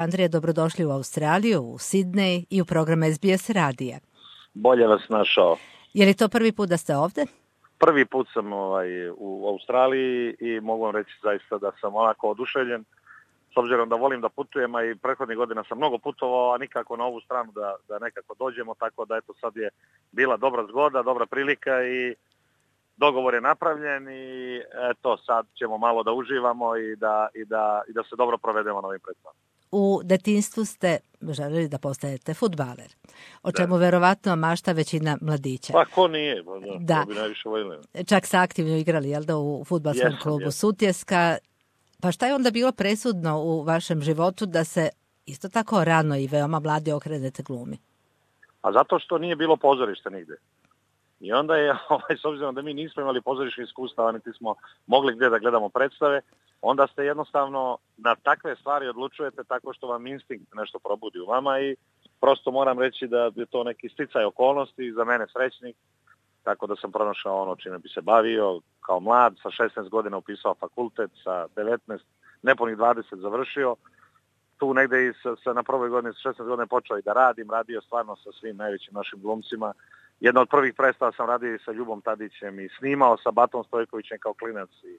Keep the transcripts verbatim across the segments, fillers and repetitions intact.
Andrija, dobrodošli u Australiju, u Sidnej i u program S B S radija. Bolje vas našao. Je li to prvi put da ste ovde? Prvi put sam ovaj, u Australiji i mogu vam reći zaista da sam onako oduševljen. S obzirom da volim da putujem, a i prethodnih godina sam mnogo putovao, a nikako na ovu stranu da, da nekako dođemo, tako da eto sad je bila dobra zgoda, dobra prilika i dogovor je napravljen i eto sad ćemo malo da uživamo i da, i da, i da se dobro provedemo na ovim predstavama. U detinjstvu ste želeli da postajete fudbaler, o čemu da. Verovatno mašta većina mladića. Pa ko nije, pa da, da. To bi najviše voljeli. Čak ste aktivno igrali, jel da, u fudbalskom jesam, klubu jesam. Sutjeska. Pa šta je onda bilo presudno u vašem životu da se isto tako rano i veoma mladi okrenete glumi? A zato što nije bilo pozorišta nigde. I onda je, ovaj, s obzirom da mi nismo imali pozorišnih iskustava, niti smo mogli gdje da gledamo predstave, onda ste jednostavno na takve stvari odlučujete tako što vam instinkt nešto probudi u vama i prosto moram reći da je to neki sticaj okolnosti, za mene srećnik, tako da sam pronašao ono čime bi se bavio kao mlad, sa šesnaest godina upisao fakultet, sa devetnaest, nepunih dvadeset završio, tu negdje i sa, sa na prvoj godini, sa šesnaest godina počeo i da radim, radio stvarno sa svim najvećim našim glumcima. Jedna od prvih predstava sam radio i sa Ljubom Tadićem i snimao sa Batom Stojkovićem kao klinac i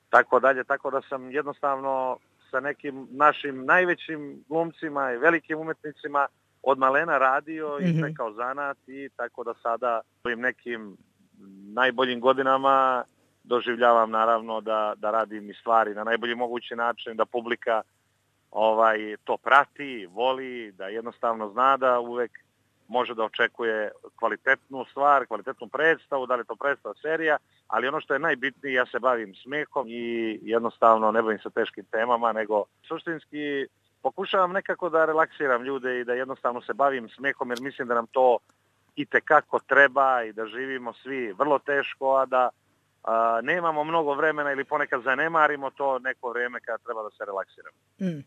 tako dalje, tako da sam jednostavno sa nekim našim najvećim glumcima i velikim umetnicima od malena radio i sve kao zanat i tako da sada ovim nekim najboljim godinama doživljavam naravno da, da radim i stvari na najbolji mogući način, da publika ovaj, to prati, voli, da jednostavno zna da uvek može da očekuje kvalitetnu stvar, kvalitetnu predstavu, da li je to predstava, serija, ali ono što je najbitnije, ja se bavim smehom i jednostavno ne bavim se teškim temama, nego suštinski pokušavam nekako da relaksiram ljude i da jednostavno se bavim smehom, jer mislim da nam to itekako treba i da živimo svi vrlo teško, a da a, nemamo mnogo vremena ili ponekad zanemarimo to neko vrijeme kada treba da se relaksiramo. Mm.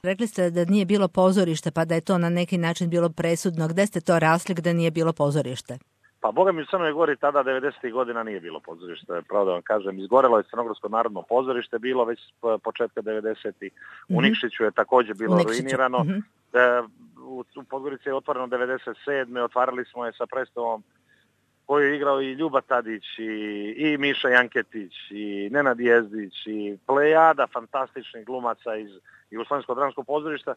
Rekli ste da nije bilo pozorište, pa da je to na neki način bilo presudno. Gde ste to rasli gde nije bilo pozorište? Pa Boga mi u Crnoj Gori tada devedesetih godina nije bilo pozorište, pravo da vam kažem. Izgorelo je Crnogorsko narodno pozorište, bilo već početka devedesetih. Mm-hmm. U Nikšiću je također bilo ruinirano. Mm-hmm. E, u, u Podgorici je otvoreno devedeset sedme. Otvarali smo je sa predstavom koju je igrao i Ljuba Tadić i, i Miša Janketić i Nenad Jezdić i plejada fantastičnih glumaca iz Jugoslovenskog dramskog pozorišta.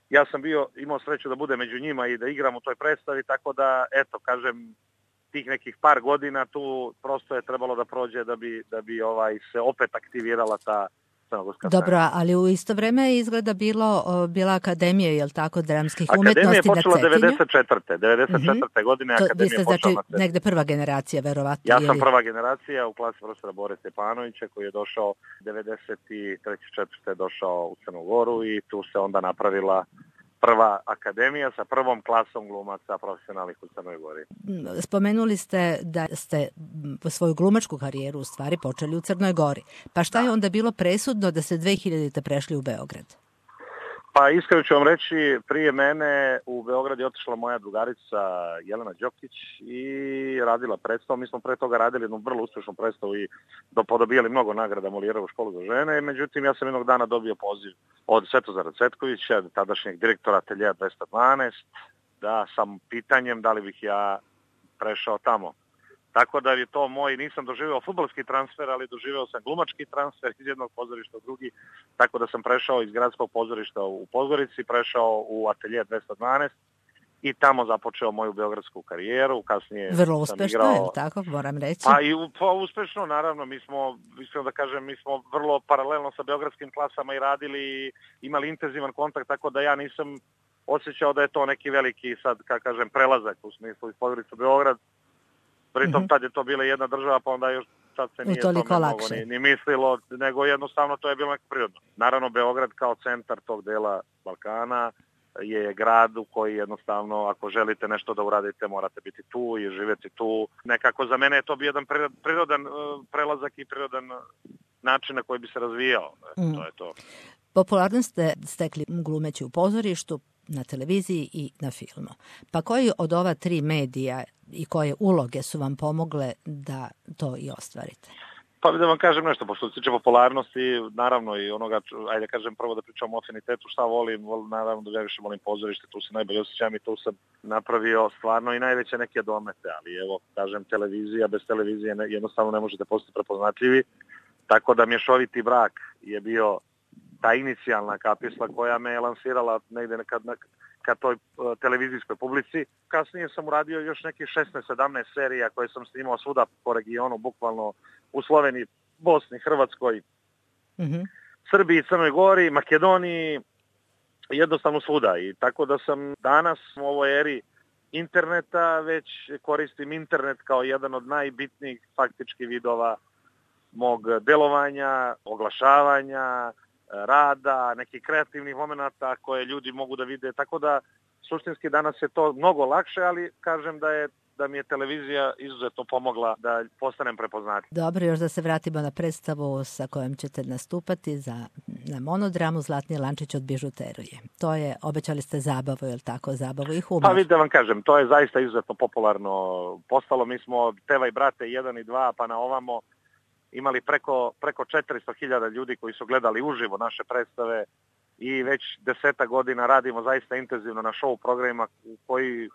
Ja sam bio, imao sreću da budem među njima i da igram u toj predstavi, tako da, eto, kažem, tih nekih par godina tu prosto je trebalo da prođe da bi, da bi ovaj, se opet aktivirala ta crnogorska scena. Dobro, ali u isto vreme je izgleda bilo, bila Akademija, je li tako, dramskih Akademija umetnosti na Cetinju? Akademija je počela devedeset četvrte. devedeset četvrte Mm-hmm. godine to, Akademija je počela znači, na Cetinju. Negde prva generacija, verovatno. Ja sam prva generacija u klasi profesora Bore Stepanovića koji je došao devedeset treće četvrte došao u Crnu Goru i tu se onda napravila prva akademija sa prvom klasom glumaca profesionalnih u Crnoj Gori. Spomenuli ste da ste svoju glumačku karijeru u stvari počeli u Crnoj Gori. Pa šta je onda bilo presudno da ste dve hiljadite prešli u Beograd? Pa iskreno ću vam reći, prije mene u Beograd je otišla moja drugarica Jelena Đokić i radila predstavu. Mi smo pre toga radili jednu vrlo uspješnu predstavu i podobijali mnogo nagrada Molijerovu školu za žene. Međutim, ja sam jednog dana dobio poziv od Svetozara Cvetkovića, tadašnjeg direktora Ateljea dvesta dvanaest, da sam pitanjem da li bih ja prešao tamo. Tako da je to moj, nisam doživio fudbalski transfer, ali doživio sam glumački transfer iz jednog pozorišta u drugi, tako da sam prešao iz gradskog pozorišta u Podgorici, prešao u Ateljea dvesta dvanaest i tamo započeo moju beogradsku karijeru. Kasnije vrlo uspešno, igrao, je li tako, moram reći? Pa i pa, uspešno, naravno, mi smo, iskreno da kažem, mi smo vrlo paralelno sa beogradskim klasama i radili i imali intenzivan kontakt, tako da ja nisam osjećao da je to neki veliki, sad, kako kažem, prelazak u smislu iz Podgorice u Beograd. Pritom mm-hmm. tad je to bila jedna država, pa onda još sad se nije tome mnogo ni, ni mislilo, nego jednostavno to je bilo neko prirodno. Naravno, Beograd kao centar tog dela Balkana je grad u koji jednostavno, ako želite nešto da uradite, morate biti tu i živjeti tu. Nekako za mene je to bio jedan prirodan prelazak i prirodan način na koji bi se razvijao. Mm. To je to. Popularno ste stekli glumeći u pozorištu, na televiziji i na filmu. Pa koji od ova tri medija i koje uloge su vam pomogle da to i ostvarite? Pa da vam kažem nešto, pošto se tiče popularnosti, naravno i onoga, ajde kažem prvo da pričamo o afinitetu, šta volim, volim naravno da ja više volim pozorište, tu se najbolje osjećam i tu sam napravio stvarno i najveće neke domete, ali evo, kažem, televizija, bez televizije ne, jednostavno ne možete postati prepoznatljivi, tako da mješoviti brak je bio ta inicijalna kapisla koja me je lansirala negde nekad na, ka toj uh, televizijskoj publici. Kasnije sam uradio još nekih šesnaest sedamnaest serija koje sam snimao svuda po regionu, bukvalno u Sloveniji, Bosni, Hrvatskoj, mm-hmm. Srbiji, Crnoj Gori, Makedoniji, jednostavno svuda. I tako da sam danas u ovoj eri interneta već koristim internet kao jedan od najbitnijih faktički vidova mog delovanja, oglašavanja, rada, nekih kreativnih momenata koje ljudi mogu da vide. Tako da suštinski danas je to mnogo lakše, ali kažem da je da mi je televizija izuzetno pomogla da postanem prepoznatljiv. Dobro, još da se vratimo na predstavu sa kojom ćete nastupati za, na monodramu Zlatni lančić od bižuterije. To je, obećali ste zabavu, je li tako, zabavu i humor? Pa vidite vam kažem, to je zaista izuzetno popularno postalo. Mi smo Teva i brate jedan i dva, pa na ovamo imali preko, preko četiristo hiljada ljudi koji su gledali uživo naše predstave i već deseta godina radimo zaista intenzivno na show programima koji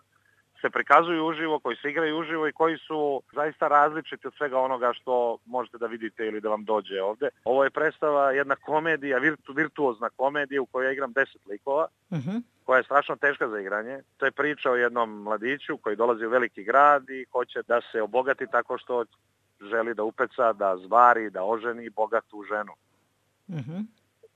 se prikazuju uživo, koji se igraju uživo i koji su zaista različiti od svega onoga što možete da vidite ili da vam dođe ovde. Ovo je predstava jedna komedija, virtu, virtuozna komedija u kojoj ja igram deset likova, uh-huh. koja je strašno teška za igranje. To je priča o jednom mladiću koji dolazi u veliki grad i hoće da se obogati tako što želi da upeca, da zvari, da oženi bogatu ženu. Uh-huh.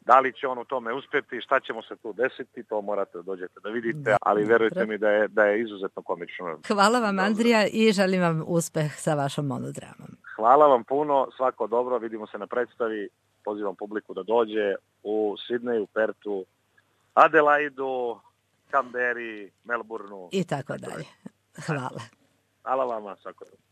Da li će on u tome uspjeti, šta će mu se tu desiti, to morate da dođete da vidite, ali verujte mi da je, da je izuzetno komično. Hvala vam, Andrija, i želim vam uspeh sa vašom monodramom. Hvala vam puno, svako dobro, vidimo se na predstavi, pozivam publiku da dođe u Sidneju, Pertu, Adelaidu, Kamberi, Melbourneu. I tako dalje. Hvala. Hvala vama, svako dobro.